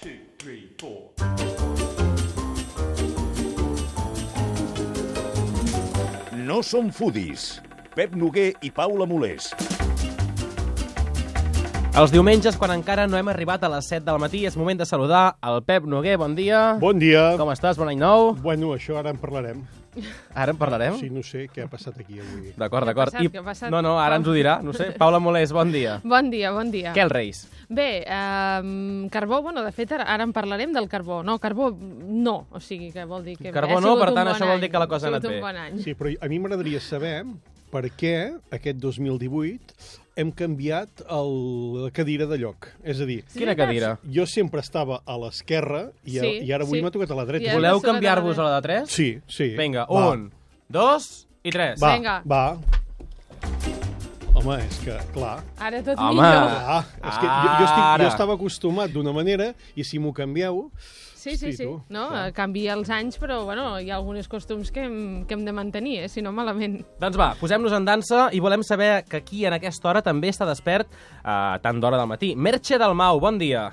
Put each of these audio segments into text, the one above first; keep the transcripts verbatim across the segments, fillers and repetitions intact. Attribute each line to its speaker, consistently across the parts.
Speaker 1: two, three, four.
Speaker 2: No som foodies. Pep Noguer i Paula Molés.
Speaker 3: Els diumenges, quan encara no hem arribat a les set del matí, és moment de saludar el Pep Noguer. Bon dia.
Speaker 4: Bon dia.
Speaker 3: Com estàs? Bon any nou.
Speaker 4: Bueno, això ara en parlarem.
Speaker 3: Ara en parlarem?
Speaker 4: Sí, no sé què ha passat aquí avui.
Speaker 3: D'acord, d'acord.
Speaker 5: Què ha passat? Què ha passat?
Speaker 3: No, no, ara ens ho dirà. No sé. Paula Molés, bon dia.
Speaker 5: Bon dia, bon dia.
Speaker 3: Què els Reis?
Speaker 5: Bé, eh, carbó, bueno, de fet, ara, ara en parlarem del carbó. No, carbó, no. O sigui, que vol dir que...
Speaker 3: Carbó
Speaker 5: ha
Speaker 3: no,
Speaker 5: sigut
Speaker 3: per
Speaker 5: un
Speaker 3: tant,
Speaker 5: bon
Speaker 3: això vol
Speaker 5: any.
Speaker 3: dir que la cosa ha
Speaker 5: Ha sigut
Speaker 3: anat
Speaker 5: un
Speaker 3: bé.
Speaker 5: bon any.
Speaker 4: Sí, però a mi m'agradaria saber per què aquest dos mil divuit hem canviat el, la cadira de lloc. És a dir,
Speaker 5: Sí,
Speaker 3: Quina
Speaker 5: veritat?
Speaker 3: cadira?
Speaker 4: jo sempre estava a l'esquerra i,
Speaker 5: Sí,
Speaker 4: i ara avui
Speaker 5: sí.
Speaker 4: m'ha tocat a la dreta.
Speaker 5: I ara-
Speaker 3: Voleu
Speaker 5: surt a la
Speaker 3: canviar-vos
Speaker 5: tarda.
Speaker 3: a la de tres?
Speaker 4: Sí, sí.
Speaker 3: Vinga,
Speaker 4: Va.
Speaker 3: un, dos i tres.
Speaker 4: Va,
Speaker 5: Vinga.
Speaker 4: va. Home, és que, clar...
Speaker 5: Ara tot
Speaker 3: Home.
Speaker 5: millor.
Speaker 4: Clar, és que jo, jo, estic,
Speaker 3: Ara.
Speaker 4: jo estava acostumat d'una manera i si m'ho canvieu...
Speaker 5: Sí, sí,
Speaker 4: Hosti,
Speaker 5: sí.
Speaker 4: tu,
Speaker 5: No,
Speaker 4: clar.
Speaker 5: eh, canvia els anys, però bueno, hi ha alguns costums que hem, que hem de mantenir, eh? Si no, malament.
Speaker 3: Doncs va, posem-nos en dansa i volem saber que aquí en aquesta hora també està despert a tant d'hora del matí. Merche Dalmau, bon dia.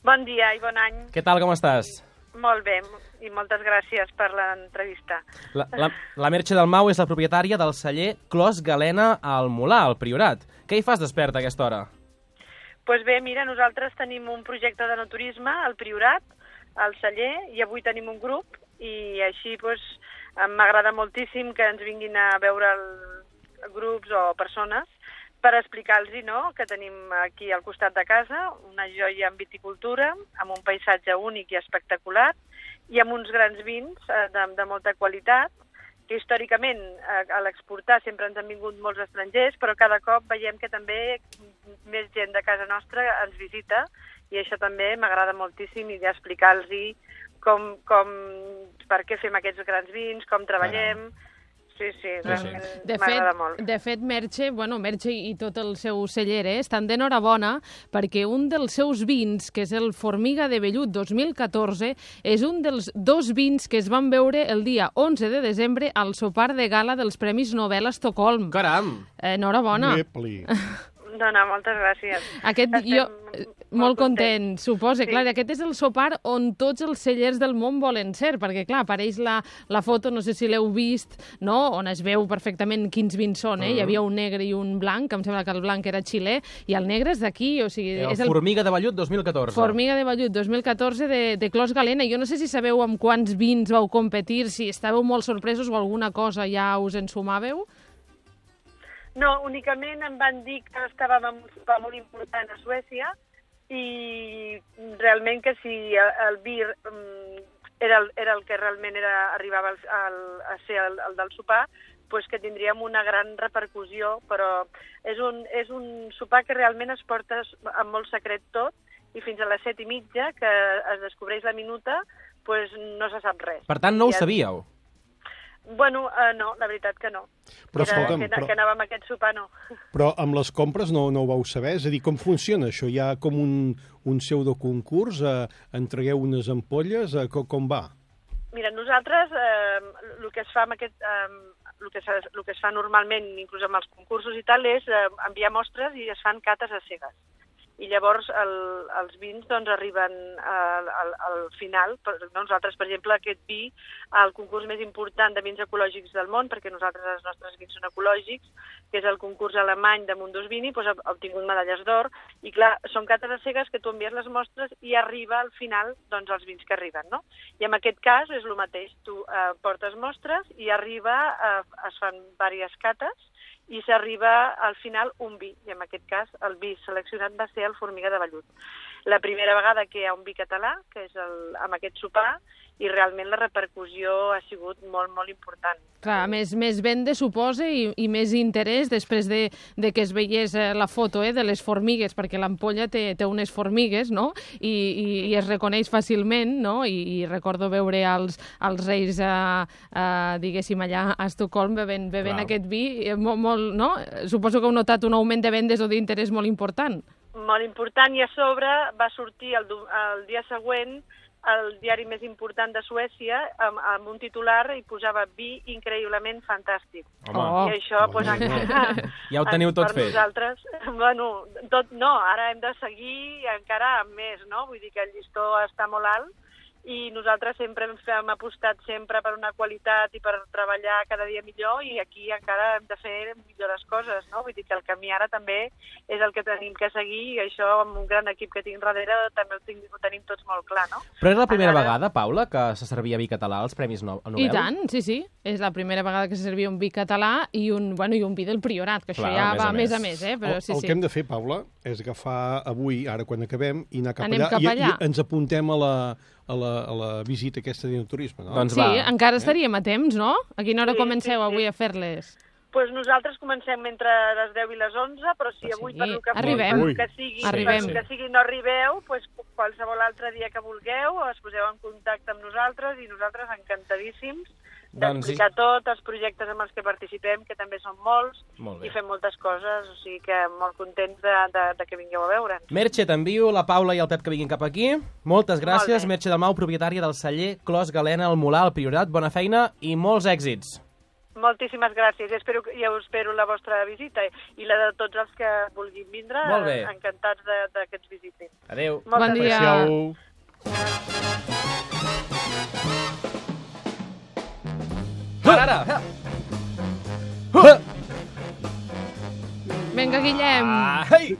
Speaker 6: Bon dia i bon any.
Speaker 3: Què tal, com estàs?
Speaker 6: Molt bé, i moltes gràcies per l'entrevista.
Speaker 3: La, la, la Merche Dalmau és la propietària del celler Clos Galena al Molar, al Priorat. Què hi fas despert a aquesta hora?
Speaker 6: Doncs pues bé, mira, nosaltres tenim un projecte de no turisme al Priorat, al celler, i avui tenim un grup, i així pues, m'agrada moltíssim que ens vinguin a veure el, grups o persones per explicar-los no, que tenim aquí al costat de casa una joia en viticultura, amb un paisatge únic i espectacular, i amb uns grans vins eh, de, de molta qualitat, que històricament eh, a l'exportar sempre ens han vingut molts estrangers, però cada cop veiem que també més gent de casa nostra ens visita, i això també m'agrada moltíssim, i d'explicar-los com, com, per què fem aquests grans vins, com treballem. Sí, sí, realment
Speaker 5: De
Speaker 6: m'agrada
Speaker 5: fet,
Speaker 6: molt.
Speaker 5: de fet, Merche, bueno, Merche i tot el seu celler eh, estan d'enhorabona perquè un dels seus vins, que és el Formiga de Vellut dos mil catorze, és un dels dos vins que es van veure el dia onze de desembre al sopar de gala dels Premis Nobel a Estocolm.
Speaker 3: Caram!
Speaker 5: Eh, enhorabona.
Speaker 4: Epli.
Speaker 6: No, no, moltes gràcies.
Speaker 5: Aquest,
Speaker 6: Estem
Speaker 5: jo,
Speaker 6: molt
Speaker 5: eh, molt content,
Speaker 6: contents.
Speaker 5: suposa.
Speaker 6: Sí.
Speaker 5: Clar, aquest és el sopar on tots els cellers del món volen ser, perquè, clar, apareix la, la foto, no sé si l'heu vist, no?, on es veu perfectament quins vins són, eh? Uh -huh. Hi havia un negre i un blanc, em sembla que el blanc era xilè, i el negre és d'aquí, o sigui...
Speaker 3: El
Speaker 5: és el
Speaker 3: Formiga de Vellut dos mil catorze.
Speaker 5: Formiga de Vellut dos mil catorze de, de Clos Galena. Jo no sé si sabeu amb quants vins vau competir, si estàveu molt sorpresos o alguna cosa ja us ensumàveu.
Speaker 6: No, únicament em van dir que estàvem en un sopar molt important a Suècia i realment que si el, el vi um, era, el, era el que realment era, arribava al, al, a ser el, el del sopar, pues que tindríem una gran repercussió, però és un, és un sopar que realment es porta amb molt secret tot, i fins a les set i mitja, que es descobreix la minuta, pues no se sap res.
Speaker 3: Per tant, no ho
Speaker 6: I ja-
Speaker 3: sabíeu.
Speaker 6: Bueno, uh, no, la veritat que no.
Speaker 4: Però
Speaker 6: Era
Speaker 4: escolta'm,
Speaker 6: que,
Speaker 4: però-
Speaker 6: que anàvem a aquest sopar, no.
Speaker 4: Però amb les compres no, no ho vau saber? És a dir, com funciona això? Hi ha com un, un pseudoconcurs? Eh, entregueu unes ampolles? Eh, com, com va?
Speaker 6: Mira, nosaltres eh, el que es fa amb aquest, eh, el que, es, el que es fa normalment, inclús amb els concursos i tal, és eh, enviar mostres i es fan cates a cegues. I llavors el, els vins doncs, arriben al, al, al final. Per, nosaltres, per exemple, aquest vi, el concurs més important de vins ecològics del món, perquè nosaltres els nostres vins són ecològics, que és el concurs alemany de Mundus Vini, doncs, ha obtingut medalles d'or, i clar, són cates a cegues que tu envies les mostres i arriba al final doncs, els vins que arriben, no? I en aquest cas és el mateix, tu eh, portes mostres i arriba, eh, es fan diverses cates, i s'arriba al final un vi, i en aquest cas el vi seleccionat va ser el Formiga de Vellut. La primera vegada que hi ha un vi català, que és el, amb aquest sopar, i realment la repercussió ha sigut molt, molt important.
Speaker 5: Clar, més, més venda, suposa, i, i més interès després de, de que es veiés eh, la foto eh, de les formigues, perquè l'ampolla té, té unes formigues, no?, I, i, i es reconeix fàcilment, no?, I, i recordo veure els, els reis, eh, eh, diguéssim, allà a Estocolm bevent, bevent aquest vi, eh, molt, molt, no? Suposo que heu notat un augment de vendes o d'interès molt important.
Speaker 6: Molt important, i a sobre va sortir el, el dia següent el diari més important de Suècia, amb, amb un titular i posava vi increïblement fantàstic.
Speaker 3: Home.
Speaker 5: Oh.
Speaker 6: I això, doncs, encara...
Speaker 3: Ja ho teniu tot
Speaker 6: per
Speaker 3: fet.
Speaker 6: Nosaltres, bueno, tot no, ara hem de seguir encara amb més, no? Vull dir que el llistó està molt alt, i nosaltres sempre hem apostat sempre per una qualitat i per treballar cada dia millor, i aquí encara hem de fer millor les coses, no? Vull dir que el camí ara també és el que tenim que seguir, i això amb un gran equip que tinc darrere també ho, tinc, ho tenim tots molt clar, no?
Speaker 3: Però és la primera
Speaker 6: Ara...
Speaker 3: vegada, Paula, que se servia vi català als Premis no Nobel?
Speaker 5: I tant, sí, sí. És la primera vegada que se servia un vi català i un, bueno, i un vi del Priorat, que això
Speaker 3: Clar,
Speaker 5: ja
Speaker 3: a més
Speaker 5: va
Speaker 3: a
Speaker 5: més a
Speaker 3: més.
Speaker 5: més, eh? Però
Speaker 4: el,
Speaker 5: sí,
Speaker 4: el
Speaker 5: sí.
Speaker 4: que hem de fer, Paula, és agafar avui, ara quan acabem, i anar cap
Speaker 5: Anem
Speaker 4: allà,
Speaker 5: cap
Speaker 4: i,
Speaker 5: allà.
Speaker 4: i ens apuntem a la, a la, a la visita aquesta d'enoturisme, no?
Speaker 3: Doncs
Speaker 5: Sí,
Speaker 3: va.
Speaker 5: encara estaríem a temps, no? A quina hora
Speaker 6: Sí,
Speaker 5: comenceu
Speaker 6: sí, sí.
Speaker 5: avui a fer-les?
Speaker 6: Pues nosaltres comencem entre les deu i les onze, però si
Speaker 5: Però
Speaker 6: avui
Speaker 5: sí,
Speaker 6: per lo que,
Speaker 5: arribem.
Speaker 6: per lo que sigui,
Speaker 5: Arribem.
Speaker 6: per lo que sigui no arribeu, pues qualsevol altre dia que vulgueu, es poseu en contacte amb nosaltres i nosaltres encantadíssims
Speaker 3: Doncs
Speaker 6: d'explicar tot, els projectes amb els que participem, que també són molts,
Speaker 3: Molt bé.
Speaker 6: i fem moltes coses, o sigui que molt contents de, de, de que vingueu a veure'ns.
Speaker 3: Merche, t'envio la Paula i el Pep que vinguin cap aquí. Moltes gràcies,
Speaker 6: Molt bé.
Speaker 3: Merche Dalmau, propietària del celler Clos Galena al Molar, al Priorat. Bona feina i molts èxits.
Speaker 6: Moltíssimes gràcies, espero, ja us espero la vostra visita i la de tots els que vulguin vindre,
Speaker 3: Molt bé.
Speaker 6: encantats de, de que ens visitin.
Speaker 3: Adéu.
Speaker 5: Bon
Speaker 6: Moltes
Speaker 5: dia.
Speaker 6: gràcies.
Speaker 3: Ara, ara.
Speaker 5: Vinga, Guillem.
Speaker 3: Ai!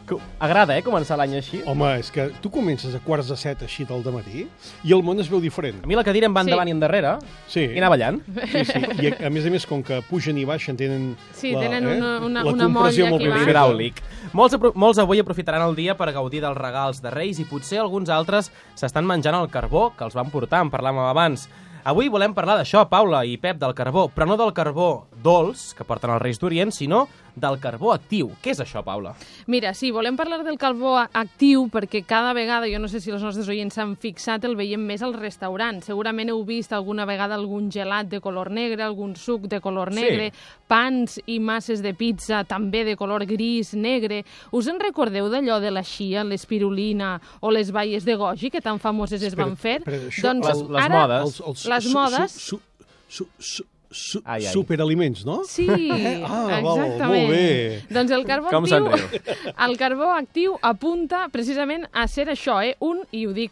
Speaker 3: Co- Agrada, eh, començar l'any així.
Speaker 4: Home, és que tu comences a quarts de set així del dematí i el món es veu diferent.
Speaker 3: A mi la cadira em va
Speaker 5: Sí.
Speaker 3: endavant i endarrere
Speaker 4: Sí.
Speaker 3: i anar ballant.
Speaker 4: Sí, sí. I a, a més a més, com que pugen i baixen, tenen,
Speaker 5: Sí,
Speaker 4: la,
Speaker 5: tenen
Speaker 4: eh?
Speaker 5: una- una-
Speaker 4: la
Speaker 5: una
Speaker 4: compressió
Speaker 5: molla
Speaker 4: molt
Speaker 5: que
Speaker 4: ben
Speaker 5: va.
Speaker 4: feta.
Speaker 3: Hidràulic. Molts, apro- molts avui aprofitaran el dia per gaudir dels regals de Reis i potser alguns altres s'estan menjant el carbó que els van portar, en parlàvem abans. Avui volem parlar d'això, Paula i Pep, del carbó, però no del carbó dolç que porten els Reis d'Orient, sinó del carbó actiu. Què és això, Paula?
Speaker 5: Mira, sí, volem parlar del carbó actiu perquè cada vegada, jo no sé si els nostres oients s'han fixat, el veiem més als restaurants. Segurament heu vist alguna vegada algun gelat de color negre, algun suc de color negre,
Speaker 3: Sí.
Speaker 5: pans i masses de pizza també de color gris, negre. Us en recordeu d'allò de la xia, l'espirulina o les baies de goji que tan famoses es van fer?
Speaker 4: Espera, això-
Speaker 5: doncs
Speaker 3: Les- les
Speaker 5: ara,
Speaker 3: modes.
Speaker 4: Els, els,
Speaker 5: Les
Speaker 4: su-
Speaker 5: modes.
Speaker 4: Su, su, su, su,
Speaker 3: Ai, ai.
Speaker 4: superaliments, no?
Speaker 5: Sí,
Speaker 4: Ah, val,
Speaker 5: exactament.
Speaker 4: molt bé.
Speaker 5: Doncs el carbó
Speaker 3: Com
Speaker 5: actiu,
Speaker 3: se'n riu?
Speaker 5: el carbó actiu apunta precisament a ser això, eh? Un, i ho dic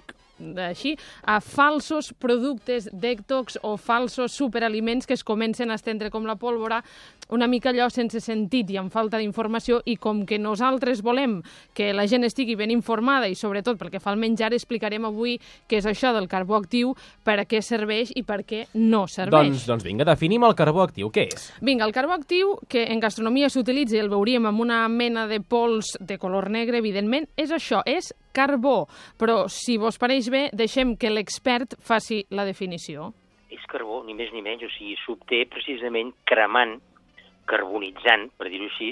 Speaker 5: així, a falsos productes detox o falsos superaliments que es comencen a estendre com la pólvora, una mica allò sense sentit i amb falta d'informació, i com que nosaltres volem que la gent estigui ben informada i sobretot pel que fa al menjar, explicarem avui què és això del carbó actiu, per a què serveix i per què no serveix.
Speaker 3: Doncs, doncs vinga, definim el carbó actiu. Què és?
Speaker 5: Vinga, el carbó actiu, que en gastronomia s'utilitza i el veuríem amb una mena de pols de color negre, evidentment, és això, és carbó. Però, si vos pareix bé, deixem que l'expert faci la definició.
Speaker 1: És carbó, ni més ni menys, o sigui, s'obté precisament cremant, carbonitzant, per dir-ho així,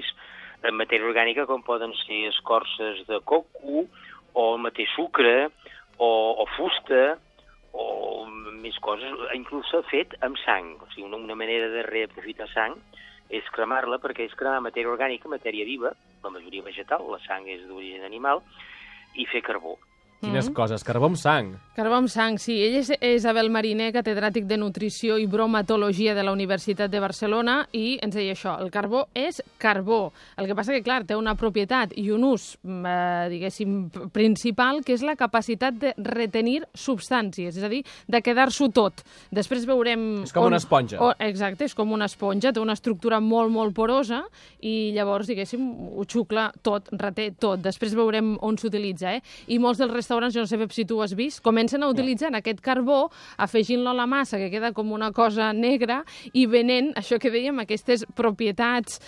Speaker 1: en matèria orgànica com poden ser escorces de coco, o el mateix sucre, o, o fusta, o més coses, inclús s'ha fet amb sang. O sigui, una, una manera de reaprofitar sang és cremar-la, perquè és cremar matèria orgànica, matèria viva, la majoria vegetal, la sang és d'origen animal, i fer carbó.
Speaker 3: Quines coses? Carbó amb sang.
Speaker 5: Carbó amb sang, sí. Ell és Isabel Mariner, catedràtic de Nutrició i Bromatologia de la Universitat de Barcelona, i ens deia això, el carbó és carbó. El que passa que, clar, té una propietat i un ús, eh, diguéssim, principal, que és la capacitat de retenir substàncies, és a dir, de quedar-s'ho tot. Després veurem...
Speaker 3: És com una esponja.
Speaker 5: On, exacte, és com una esponja, té una estructura molt, molt porosa, i llavors, diguéssim, ho xucla tot, reté tot. Després veurem on s'utilitza, eh? I molts dels restaurants, jo no sé si tu ho has vist, comencen a utilitzar aquest carbó, afegint-lo a la massa, que queda com una cosa negra, i venent, això que dèiem, aquestes propietats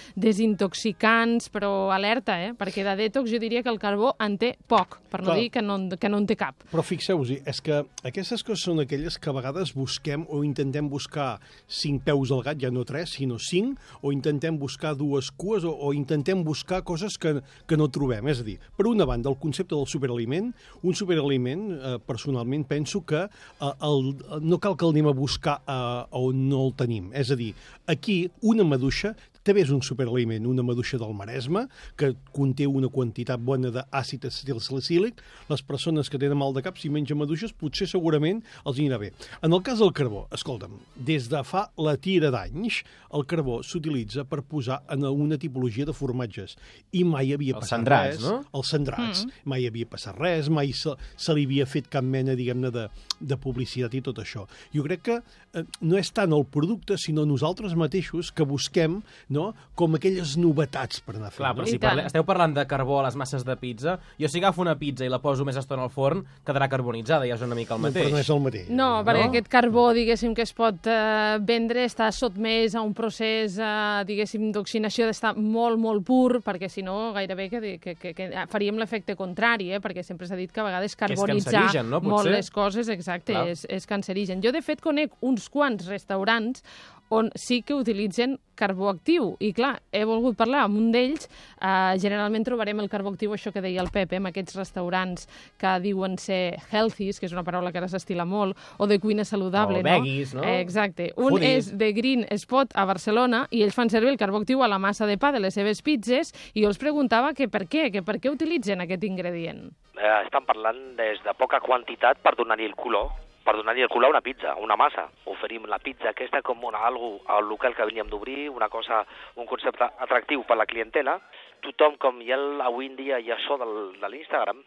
Speaker 5: desintoxicants, però alerta, eh? Perquè de detox jo diria que el carbó en té poc, per no
Speaker 4: Clar.
Speaker 5: dir que no, en- que no en té cap.
Speaker 4: Però fixeu-vos-hi, és que aquestes coses són aquelles que a vegades busquem o intentem buscar cinc peus al gat, ja no tres, sinó cinc, o intentem buscar dues cues, o, o intentem buscar coses que, que no trobem. És a dir, per una banda, el concepte del superaliment, un superaliment, eh, personalment, penso que eh, el, no cal que el anem a buscar eh, on no el tenim. És a dir, aquí una maduixa també és un superaliment, una maduixa del Maresme, que conté una quantitat bona d'àcid acetilsalicílic. Les persones que tenen mal de cap, si mengen maduixes, potser segurament els anirà bé. En el cas del carbó, escolta'm, des de fa la tira d'anys, el carbó s'utilitza per posar en una tipologia de formatges. I mai havia
Speaker 3: Els
Speaker 4: passat
Speaker 3: cendrats,
Speaker 4: res.
Speaker 3: no?
Speaker 4: Els cendrats. Mm. Mai havia passat res, mai se, se li havia fet cap mena, diguem-ne, de, de publicitat i tot això. Jo crec que eh, no és tant el producte, sinó nosaltres mateixos que busquem, no?, com aquelles novetats per anar fent.
Speaker 3: Clar, però
Speaker 4: no?
Speaker 3: si parle... esteu parlant de carbó a les masses de pizza, jo si agafo una pizza i la poso més estona al forn, quedarà carbonitzada, ja és una mica el
Speaker 4: No,
Speaker 3: mateix.
Speaker 4: però no és el mateix.
Speaker 5: No, perquè
Speaker 3: No?
Speaker 5: aquest carbó, diguéssim, que es pot eh, vendre, està sotmès a un procés, eh, diguéssim, d'oxidació d'estar molt, molt pur, perquè si no, gairebé que, que, que, que faríem l'efecte contrari, eh? Perquè sempre s'ha dit que a vegades carbonitzar
Speaker 3: cancerigen, no? Potser?
Speaker 5: molt les coses, exacte, és, és cancerigen. Jo, de fet, conec uns quants restaurants on sí que utilitzen carbó actiu. I, clar, he volgut parlar amb un d'ells. Eh, generalment trobarem el carbó actiu, això que deia el Pepe, en aquests restaurants que diuen ser healthies, que és una paraula que ara s'estila molt, o de cuina saludable,
Speaker 3: O veggies, no?
Speaker 5: Eh, exacte. Un
Speaker 3: Foodies.
Speaker 5: és de Green Spot a Barcelona i ells fan servir el carbó actiu a la massa de pa de les seves pizzas i jo els preguntava que per què, que per què utilitzen aquest ingredient.
Speaker 7: Eh, estan parlant des de poca quantitat per donar-li el color, per donar-li el color a una pizza, una massa. Oferim la pizza aquesta com una, algo al local que veníem d'obrir, una cosa, un concepte atractiu per la clientela. Tothom, com hi ha el, avui en dia hi ha això del, de l'Instagram,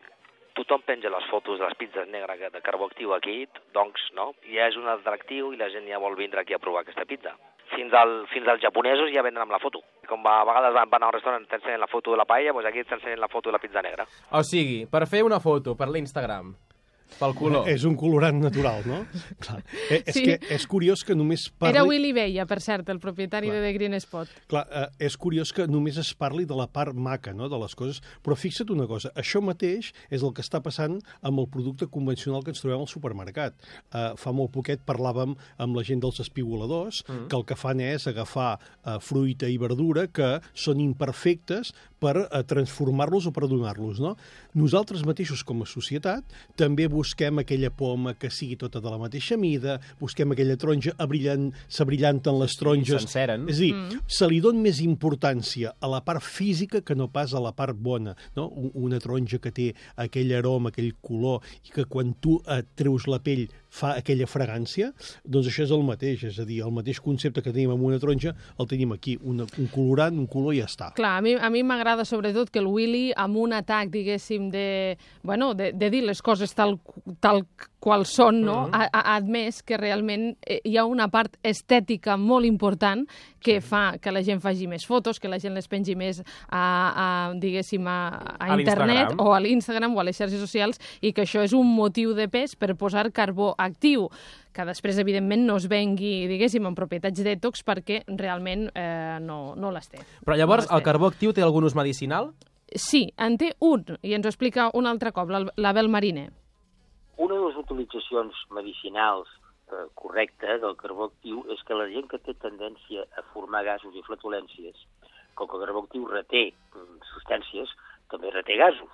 Speaker 7: tothom penja les fotos de les pizzas negres de carbó actiu aquí, doncs, no? Ja és un atractiu i la gent ja vol vindre aquí a provar aquesta pizza. Fins, al, fins als japonesos ja venen amb la foto. Com a vegades van, van a un restaurant i t'ensenyen la foto de la paella, doncs aquí t'ensenyen la foto de la pizza negra.
Speaker 3: O sigui, per fer una foto per l'Instagram, pel color.
Speaker 4: És un colorant natural, no? Clar. Eh, és
Speaker 5: Sí.
Speaker 4: que és curiós que només parli...
Speaker 5: Era Willy Bella, per cert, el propietari
Speaker 4: Clar.
Speaker 5: de The Green Spot.
Speaker 4: Clar, eh, és curiós que només es parli de la part maca, no?, de les coses, però fixa't una cosa, això mateix és el que està passant amb el producte convencional que ens trobem al supermercat. Eh, fa molt poquet parlàvem amb la gent dels espigoladors, mm. que el que fan és agafar eh, fruita i verdura que són imperfectes per eh, transformar-los o per donar-los, no? Nosaltres mateixos, com a societat, també busquem aquella poma que sigui tota de la mateixa mida, busquem aquella taronja, abrillant, s'abrillanten les taronges.
Speaker 3: s'enceren.
Speaker 4: És a dir, mm. se li dona més importància a la part física que no pas a la part bona, no? Una taronja que té aquell aroma, aquell color, i que quan tu et treus la pell fa aquella fragància, doncs això és el mateix, és a dir, el mateix concepte que tenim amb una taronja el tenim aquí, una, un colorant, un color i ja està.
Speaker 5: Clar, a mi, a mi m'agrada sobretot que el Willy, amb un atac, diguéssim, de, bueno, de, de dir les coses tal, tal qual són, no?
Speaker 3: Mm-hmm.
Speaker 5: ha, ha admès que realment hi ha una part estètica molt important que fa que la gent faci més fotos, que la gent les pengi més a, a diguéssim, a, a,
Speaker 3: A
Speaker 5: internet
Speaker 3: l'Instagram.
Speaker 5: o a l'Instagram o a les xarxes socials, i que això és un motiu de pes per posar carbó actiu, que després, evidentment, no es vengui, diguéssim, en propietats dètox, perquè realment eh, no, no les té.
Speaker 3: Però llavors,
Speaker 5: No les
Speaker 3: el
Speaker 5: té.
Speaker 3: carbó actiu té algun ús medicinal?
Speaker 5: Sí, en té un, i ens ho explica un altre cop, la- l'Abel Mariner.
Speaker 1: Una de les utilitzacions medicinals eh, correctes del carbó actiu és que la gent que té tendència a formar gasos i flatulències, com que el carbó actiu reté mm, substàncies, també reté gasos.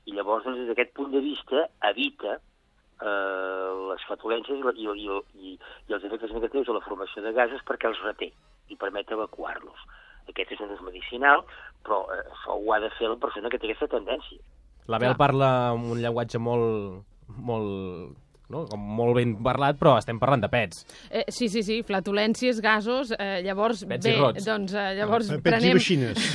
Speaker 1: I llavors, doncs, des d'aquest punt de vista, evita eh, les flatulències i, la- i, i, i, i els efectes negatius de la formació de gasos perquè els reté i permet evacuar-los. Aquest és un ús medicinal, però eh, això ho ha de fer la persona que té aquesta tendència.
Speaker 3: L'Abel
Speaker 5: Clar.
Speaker 3: parla amb un llenguatge molt, molt, no? Com molt ben parlat, però estem parlant de pets.
Speaker 5: Eh, sí, sí, sí, flatulències, gasos, eh, llavors,
Speaker 3: Pets i
Speaker 5: bé,
Speaker 3: rots.
Speaker 5: doncs eh, llavors
Speaker 4: Pets i
Speaker 5: prenem,
Speaker 4: veixines.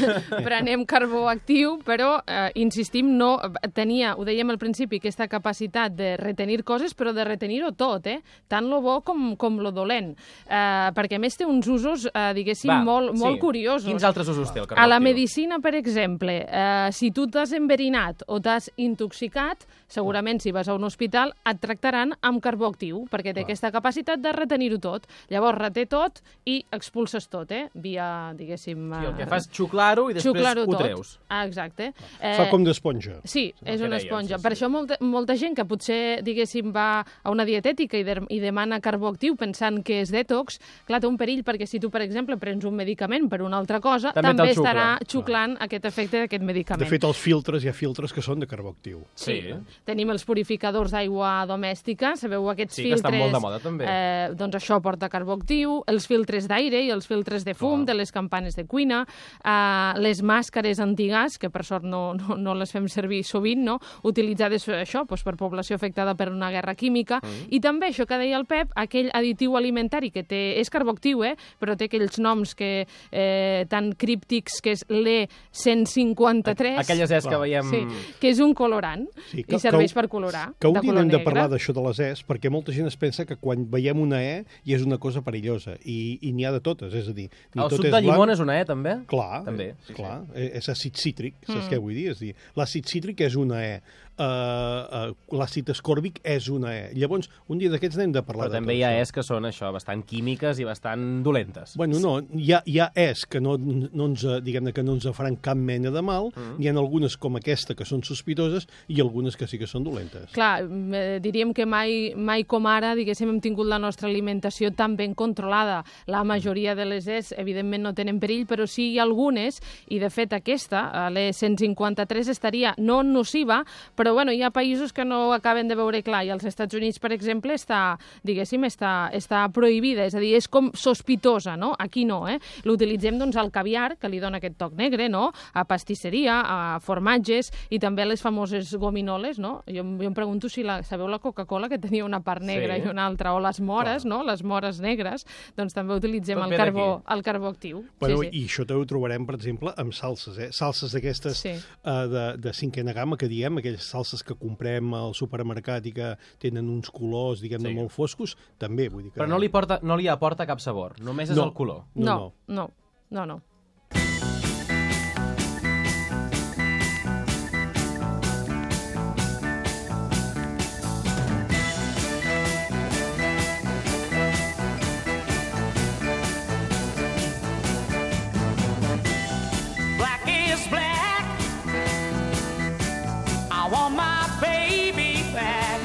Speaker 5: prenem carbó actiu, però, eh, insistim, no tenia, ho dèiem al principi, aquesta capacitat de retenir coses, però de retenir-ho tot, eh? Tant lo bo com, com lo dolent. Eh, perquè, a més, té uns usos, eh, diguéssim,
Speaker 3: Va,
Speaker 5: molt,
Speaker 3: sí.
Speaker 5: molt curiosos.
Speaker 3: Quins altres usos té el carbó
Speaker 5: A la
Speaker 3: actiu?
Speaker 5: medicina, per exemple, eh, si tu t'has enverinat o t'has intoxicat, segurament si vas a un hospital et tractaran amb carbó actiu, perquè té aquesta capacitat de retenir-ho tot. Llavors reté tot i expulses tot, eh? Via, diguéssim...
Speaker 3: Sí, el que
Speaker 5: eh,
Speaker 3: fas xuclar-ho i després
Speaker 5: xuclar-ho
Speaker 3: ho
Speaker 5: tot.
Speaker 3: treus.
Speaker 5: Ah, exacte.
Speaker 4: Fa com d'esponja.
Speaker 5: Sí,
Speaker 3: el
Speaker 5: és
Speaker 3: que
Speaker 5: una
Speaker 3: dèiem,
Speaker 5: esponja.
Speaker 3: sí,
Speaker 5: Per
Speaker 3: sí.
Speaker 5: això molta, molta gent que potser, diguéssim, va a una dietètica i, de, i demana carbó actiu pensant que és detox, clar, té un perill, perquè si tu, per exemple, prens un medicament per una altra cosa,
Speaker 3: També
Speaker 5: també,
Speaker 3: te'l
Speaker 5: estarà
Speaker 3: xucla.
Speaker 5: xuclant aquest efecte d'aquest medicament.
Speaker 4: De fet, els filtres, hi ha filtres que són de carbó actiu.
Speaker 5: Sí.
Speaker 3: Sí.
Speaker 5: Tenim els purificadors d'aigua domèstica domèstica, sabeu, aquests
Speaker 3: Sí, que
Speaker 5: filtres...
Speaker 3: estan molt de moda, també.
Speaker 5: Eh, doncs això porta carbó actiu, els filtres d'aire i els filtres de fum de les campanes de cuina, eh, les màscares antigàs, que per sort no, no, no les fem servir sovint, no? Utilitzades això doncs, per població afectada per una guerra química, mm. i també, això que deia el Pep, aquell additiu alimentari que té, és carbó actiu, eh, però té aquells noms que, eh, tan críptics, que és l'E cent cinquanta-tres.
Speaker 3: Aquelles es que veiem...
Speaker 5: Sí, que és un colorant,
Speaker 4: Sí,
Speaker 5: i serveix per colorar.
Speaker 4: Que un
Speaker 5: de
Speaker 4: dia
Speaker 5: color
Speaker 4: hem de
Speaker 5: negre.
Speaker 4: parlar d'això de les Es, perquè molta gent es pensa que quan veiem una E ja és una cosa perillosa, i, i n'hi ha de totes, és a dir... Ni
Speaker 3: El
Speaker 4: tot
Speaker 3: suc
Speaker 4: és
Speaker 3: de llimona
Speaker 4: blanc.
Speaker 3: és una E, també?
Speaker 4: Clar,
Speaker 3: També, sí,
Speaker 4: clar, sí. És àcid cítric, saps
Speaker 5: Mm.
Speaker 4: què vull dir? És dir, l'àcid cítric és una E, uh, uh, l'àcid ascòrbic és una E. Llavors, un dia d'aquests n'hem de parlar
Speaker 3: Però
Speaker 4: de
Speaker 3: també
Speaker 4: tot
Speaker 3: hi ha
Speaker 4: això.
Speaker 3: es que són això, bastant químiques i bastant dolentes.
Speaker 4: Bueno, no, hi ha, hi ha es que no, no ens, diguem-ne, que no ens faran cap mena de mal, mm. n'hi ha algunes com aquesta que són sospitoses i algunes que sí que són dolentes.
Speaker 5: Clar, eh, diríem que mai, mai com ara, diguéssim, hem tingut la nostra alimentació tan ben controlada. La majoria de les es, evidentment, no tenen perill, però sí hi ha algunes, i de fet aquesta, l'E cent cinquanta-tres, estaria no nociva, però bueno, hi ha països que no ho acaben de veure clar, i als Estats Units, per exemple, està, diguéssim, està, està prohibida, és a dir, és com sospitosa, no? Aquí no, eh? L'utilitzem, doncs, al caviar, que li dona aquest toc negre, no? A pastisseria, a formatges, i també a les famoses gominoles, no? Jo, jo em pregunto si la, sabeu la Coca-Cola, que tenia una part negra
Speaker 3: Sí.
Speaker 5: i una altra, o les mores, no? Les mores negres, doncs també utilitzem
Speaker 3: Tot
Speaker 5: el
Speaker 3: ve
Speaker 5: carbó,
Speaker 3: d'aquí.
Speaker 5: el carbó actiu.
Speaker 4: Bueno,
Speaker 5: sí, sí.
Speaker 4: I això també ho trobarem, per exemple, amb salses, eh? Salses d'aquestes
Speaker 5: Sí.
Speaker 4: uh, de, de cinquena gamma, que diem, aquelles salses que comprem al supermercat i que tenen uns colors, diguem-ne,
Speaker 3: Sí.
Speaker 4: molt foscos, també, vull dir que...
Speaker 3: Però no li, porta, no li aporta cap sabor, només és
Speaker 4: No.
Speaker 3: el color.
Speaker 4: No,
Speaker 5: No, no, no, no.
Speaker 8: Black is black. I want my baby back.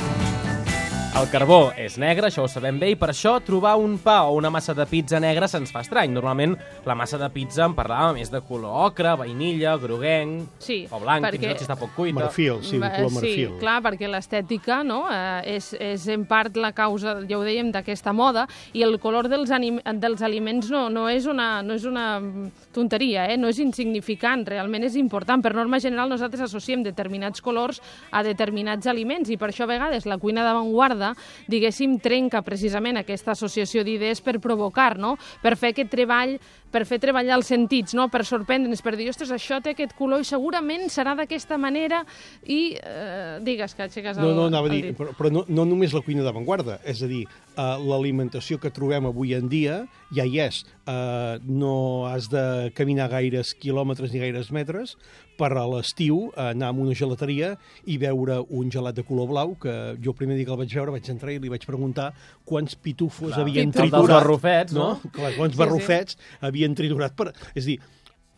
Speaker 3: El carbó és negre, això ho sabem bé, i per això trobar un pa o una massa de pizza negra se'ns fa estrany. Normalment la massa de pizza en parlàvem és de color ocre, vainilla, groguenc,
Speaker 5: Sí,
Speaker 3: o blanc,
Speaker 5: perquè-
Speaker 3: fins i tot si està poc cuita.
Speaker 4: Marfil, sí, de
Speaker 5: Va,
Speaker 4: color
Speaker 5: sí,
Speaker 4: marfil.
Speaker 5: clar, perquè l'estètica, no?, eh, és, és en part la causa, ja ho dèiem, d'aquesta moda, i el color dels, anim, dels aliments no, no, és una, no és una tonteria, eh? No és insignificant, realment és important. Per norma general nosaltres associem determinats colors a determinats aliments, i per això a vegades la cuina d'avantguarda, diguéssim, trenca precisament aquesta associació d'idees per provocar, no?, per fer aquest treball, per fer treballar els sentits, no?, per sorprendre'ns, per dir, ostres, això té aquest color i segurament serà d'aquesta manera, i eh, digues que aixeques el,
Speaker 4: No, no, anava a
Speaker 5: el
Speaker 4: dir,
Speaker 5: dit.
Speaker 4: però, però no, no només la cuina d'avantguarda, és a dir, uh, l'alimentació que trobem avui en dia ja hi és. Uh, no has de caminar gaires quilòmetres ni gaires metres per a l'estiu anar a una gelateria i veure un gelat de color blau, que jo el primer dia que el vaig veure vaig entrar i li vaig preguntar quants pitufos
Speaker 3: Clar,
Speaker 4: havien
Speaker 3: el dels
Speaker 4: triturat.
Speaker 3: barrufets, no?
Speaker 4: Clar, quants
Speaker 5: Sí,
Speaker 4: barrufets havien triturat. Per... És a dir,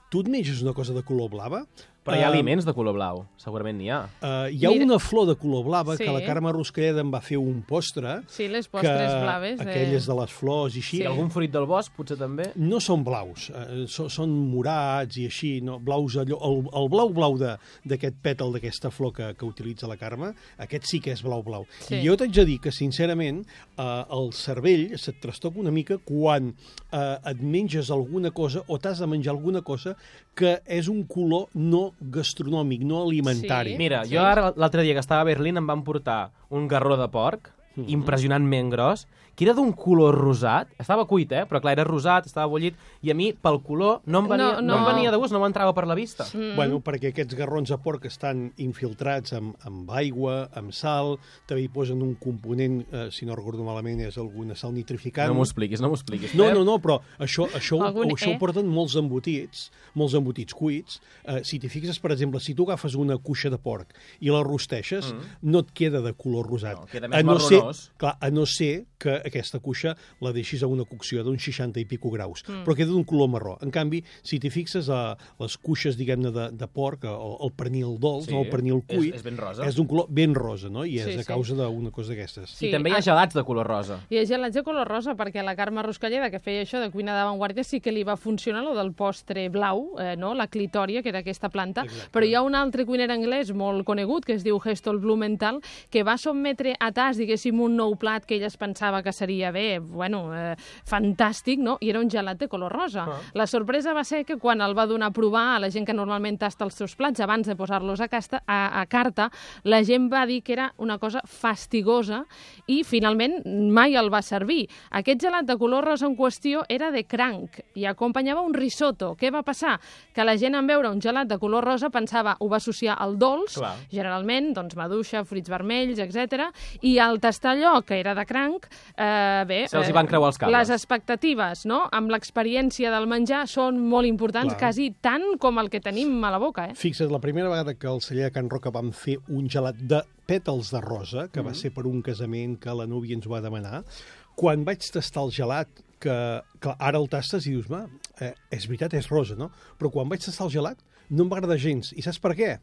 Speaker 4: tu et menges una cosa de color blava?
Speaker 3: Però hi ha
Speaker 4: Eh,
Speaker 3: aliments de color blau, segurament n'hi ha.
Speaker 4: Uh, hi ha
Speaker 5: Mira-
Speaker 4: una flor de color blava
Speaker 5: Sí.
Speaker 4: que la Carme Ruscalleda em va fer un postre.
Speaker 5: Sí, les
Speaker 4: que
Speaker 5: postres blaves. De...
Speaker 4: aquelles de les flors i així,
Speaker 3: I algun fruit del bosc, potser també?
Speaker 4: no són blaus, eh, so, són morats i així, no? Blaus allò, el, el blau-blau d'aquest pètal d'aquesta flor que, que utilitza la Carme, aquest sí que és blau-blau.
Speaker 5: Sí.
Speaker 4: I jo t'haig de dir que, sincerament, eh, el cervell se't trastoca una mica quan eh, et menges alguna cosa o t'has de menjar alguna cosa que és un color no gastronòmic, no alimentari.
Speaker 5: Sí.
Speaker 3: Mira,
Speaker 5: Sí.
Speaker 3: jo ara l'altre dia que estava a Berlín em van portar un garró de porc,
Speaker 4: Mhm.
Speaker 3: impressionantment gros, que era d'un color rosat, estava cuit, eh? Però clar, era rosat, estava bullit, i a mi, pel color, no em venia,
Speaker 5: No,
Speaker 3: no,
Speaker 5: no.
Speaker 3: em venia de gust, no m'entrava per la vista.
Speaker 5: Mm.
Speaker 4: Bueno, perquè aquests garrons de porc estan infiltrats amb, amb aigua, amb sal, també hi posen un component, eh, si no recordo malament, és alguna sal nitrificant.
Speaker 3: No m'ho expliquis, no m'ho expliquis.
Speaker 4: No,
Speaker 3: Pep.
Speaker 4: no, no, però això, això,
Speaker 5: Algun
Speaker 4: això
Speaker 5: E?
Speaker 4: ho porten molts embotits, molts embotits cuits. Eh, si t'hi fixes, per exemple, si tu agafes una cuixa de porc i la rosteixes, mm. no et queda de color rosat.
Speaker 3: No, queda més
Speaker 4: a no ser,
Speaker 3: marronós.
Speaker 4: clar, a no ser que aquesta cuixa la deixis a una cocció d'uns seixanta i pico graus, mm. però queda d'un color marró. En canvi, si t'hi fixes a les cuixes, diguem-ne, de, de porc, el, el pernil dolç, sí, no, el pernil cuit,
Speaker 3: és, és ben rosa.
Speaker 4: És d'un color ben rosa, no? I és
Speaker 5: sí,
Speaker 4: a causa sí. d'una cosa d'aquestes.
Speaker 3: Sí, I també hi ha gelats de color rosa.
Speaker 5: Hi ha gelats de color rosa, perquè la Carme Ruscalleda, que feia això de cuina d'avantguàrdia, sí que li va funcionar lo del postre blau, eh, no? La clitòria, que era aquesta planta. Exacte. Però hi ha un altre cuiner anglès molt conegut, que es diu Heston Blumenthal, que va sotmetre a tas, diguéssim, un nou plat que ell es pensava que seria bé, bueno, eh, fantàstic, no? I era un gelat de color rosa. Ah. La sorpresa va ser que quan el va donar a provar a la gent que normalment tasta els seus plats abans de posar-los a, casta, a, a carta, la gent va dir que era una cosa fastigosa i finalment mai el va servir. Aquest gelat de color rosa en qüestió era de cranc i acompanyava un risotto. Què va passar? Que la gent en veure un gelat de color rosa pensava, ho va associar al dolç, clar. Generalment, doncs maduixa, fruits vermells, etcètera, i al tastar allò que era de cranc, eh, bé...
Speaker 3: Se'ls hi van creuar els cables.
Speaker 5: Les expectatives, no?, amb l'experiència del menjar són molt importants, clar. Quasi tant com el que tenim a la boca, eh?
Speaker 4: Fixa't, la primera vegada que el celler de Can Roca vam fer un gelat de pètals de rosa, que mm. va ser per un casament que la núvia ens va demanar, quan vaig tastar el gelat, que clar, ara el tastes i dius, ma, eh, és veritat, és rosa, no? Però quan vaig tastar el gelat no em va agradar gens. I saps per què?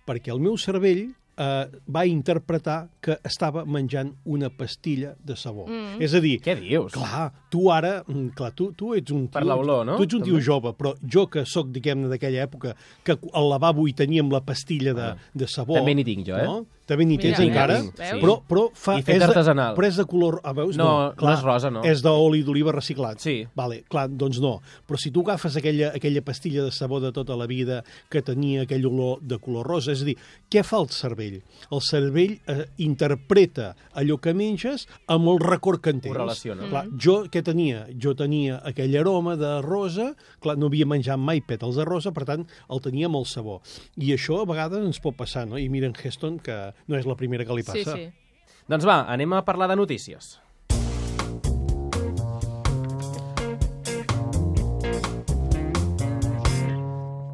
Speaker 4: Perquè el meu cervell eh, va interpretar que estava menjant una pastilla de sabó. Mm. És a dir...
Speaker 3: Què dius?
Speaker 4: Clar, tu ara... Clar, tu, tu ets un tio...
Speaker 3: Per l'olor, no?
Speaker 4: Tu ets un tio També. jove, però jo que sóc, diguem-ne, d'aquella època, que al lavabo hi teníem la pastilla de, ah. de sabó...
Speaker 3: També n'hi tinc jo, eh?
Speaker 4: No? També n'hi tens
Speaker 5: Mira,
Speaker 4: encara,
Speaker 5: sí.
Speaker 4: però, però, fa,
Speaker 3: I fet
Speaker 4: és de,
Speaker 3: artesanal.
Speaker 4: però és de color... Ah, veus?
Speaker 3: No,
Speaker 4: no, clar,
Speaker 3: no és rosa, no.
Speaker 4: És d'oli d'oliva reciclat.
Speaker 3: Sí.
Speaker 4: Vale, clar, doncs no. Però si tu agafes aquella, aquella pastilla de sabó de tota la vida que tenia aquell olor de color rosa, és a dir, què fa el cervell? El cervell eh, interpreta allò que menges amb el record que en tens.
Speaker 3: Ho relaciona.
Speaker 4: Clar, jo què tenia? Jo tenia aquell aroma de rosa, clar, no havia menjat mai pètals de rosa, per tant, el tenia amb el sabó. I això a vegades ens pot passar, no? I mira en Heston, que no és la primera que li passa.
Speaker 5: Sí, sí.
Speaker 3: Doncs va, anem a parlar de notícies.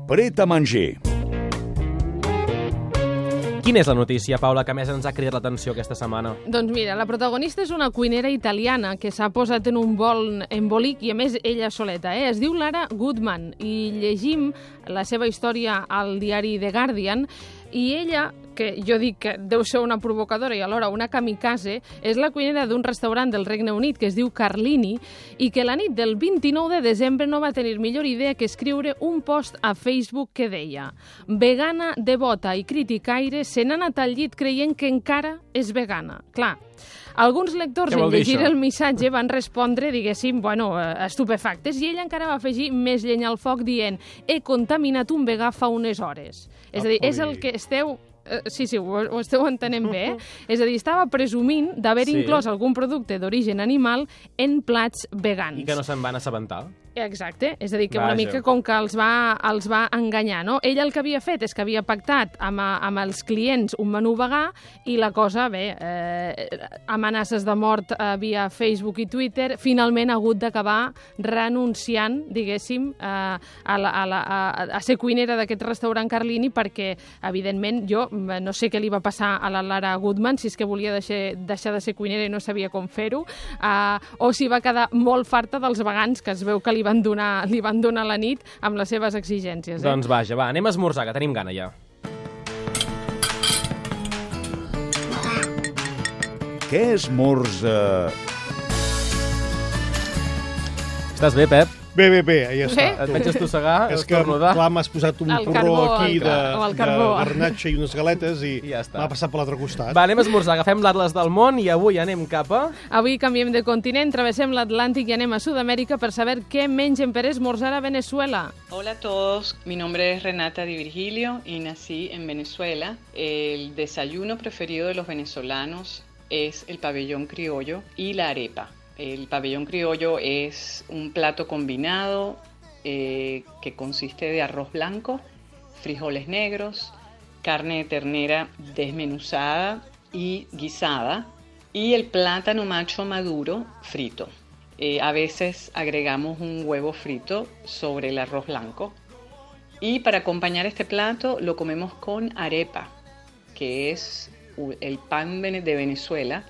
Speaker 2: Pret a manger.
Speaker 3: Quina és la notícia, Paula, que més ens ha cridat l'atenció aquesta setmana?
Speaker 5: Doncs mira, la protagonista és una cuinera italiana que s'ha posat en un bol embolic i, a més, ella soleta, eh? Es diu Lara Goodman i llegim la seva història al diari The Guardian i ella, que jo dic que deu ser una provocadora i alhora una kamikaze, és la cuinera d'un restaurant del Regne Unit que es diu Carlini i que la nit del vint-i-nou de desembre no va tenir millor idea que escriure un post a Facebook que deia: vegana, devota i criticaire se n'ha anat al llit creient que encara és vegana. Clar, alguns lectors en llegir el missatge van respondre, diguéssim, bueno, estupefactes, i ella encara va afegir més llenya al foc dient: he contaminat un vegà fa unes hores. És a dir, és el que esteu... Sí, sí, ho, ho esteu entenent bé, eh? És a dir, estava presumint d'haver sí. inclòs algun producte d'origen animal en plats vegans.
Speaker 3: I que no se'n van assabentar.
Speaker 5: Exacte, és a dir, que
Speaker 3: Vaja.
Speaker 5: una mica com que els va, els va enganyar, no? Ella el que havia fet és que havia pactat amb, amb els clients un menú vegà i la cosa, bé, eh, amenaces de mort eh, via Facebook i Twitter, finalment ha hagut d'acabar renunciant, diguéssim, eh, a, la, a, la, a, a ser cuinera d'aquest restaurant Carlini perquè, evidentment, jo no sé què li va passar a la Lara Goodman, si és que volia deixar, deixar de ser cuinera i no sabia com fer-ho, eh, o si va quedar molt farta dels vegans, que es veu que li van donar, li van donar la nit amb les seves exigències. Eh?
Speaker 3: Doncs vaja, va, anem a esmorzar, que tenim gana ja.
Speaker 2: Què esmorza?
Speaker 3: Estàs bé, Pep?
Speaker 4: Bé, bé, bé, ja està.
Speaker 3: Et veig estossegar,
Speaker 4: és que, clar, m'has posat un
Speaker 5: el
Speaker 4: porró
Speaker 5: carbó,
Speaker 4: aquí
Speaker 5: el,
Speaker 4: de,
Speaker 5: el
Speaker 4: de garnatxa i unes galetes i
Speaker 3: ja està.
Speaker 4: m'ha passat per l'altre costat.
Speaker 3: Va, anem a esmorzar, agafem l'Atlas del món i avui anem cap a...
Speaker 5: Avui canviem de continent, travessem l'Atlàntic i anem a Sud-amèrica per saber què mengen per esmorzar a Venezuela.
Speaker 9: Hola a todos, mi nombre es Renata Di Virgilio y nací en Venezuela. El desayuno preferido de los venezolanos es el pabellón criollo y la arepa. El pabellón criollo es un plato combinado eh, que consiste de arroz blanco, frijoles negros, carne de ternera desmenuzada y guisada y el plátano macho maduro frito. Eh, a veces agregamos un huevo frito sobre el arroz blanco. Y para acompañar este plato lo comemos con arepa, que es el pan de Venezuela,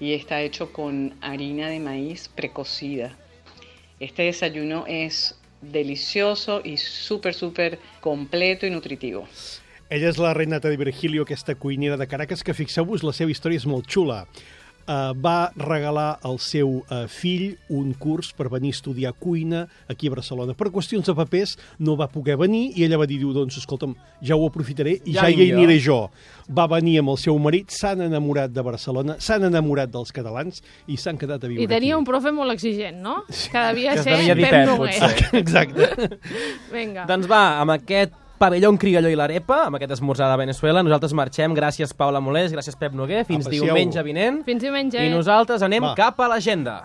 Speaker 9: y está hecho con harina de maíz precocida. Este desayuno es delicioso y súper, súper completo y nutritivo.
Speaker 4: Ella és la Renata de Virgilio, aquesta cuinera de Caracas, que fixeu-vos, la seva història és molt xula. Uh, va regalar al seu uh, fill un curs per venir a estudiar cuina aquí a Barcelona. Per qüestions de papers no va poder venir i ella va dir, diu, doncs, escolta'm, ja ho aprofitaré i ja, ja hi aniré jo. Va venir amb el seu marit, s'han enamorat de Barcelona, s'han enamorat dels catalans i s'han quedat a viure aquí.
Speaker 5: I tenia aquí un profe molt exigent, no? Que devia
Speaker 3: que
Speaker 5: ser Pep Noguer.
Speaker 4: Exacte.
Speaker 5: Vinga.
Speaker 3: Doncs va, amb aquest pavelló criollo i l'arepa, amb aquest esmorzar de Venezuela, nosaltres marxem. Gràcies, Paula Molés, gràcies, Pep Noguer. Fins
Speaker 4: Aprecieu.
Speaker 3: diumenge vinent.
Speaker 5: Fins diumenge.
Speaker 3: I nosaltres anem
Speaker 4: Va.
Speaker 3: cap a l'agenda.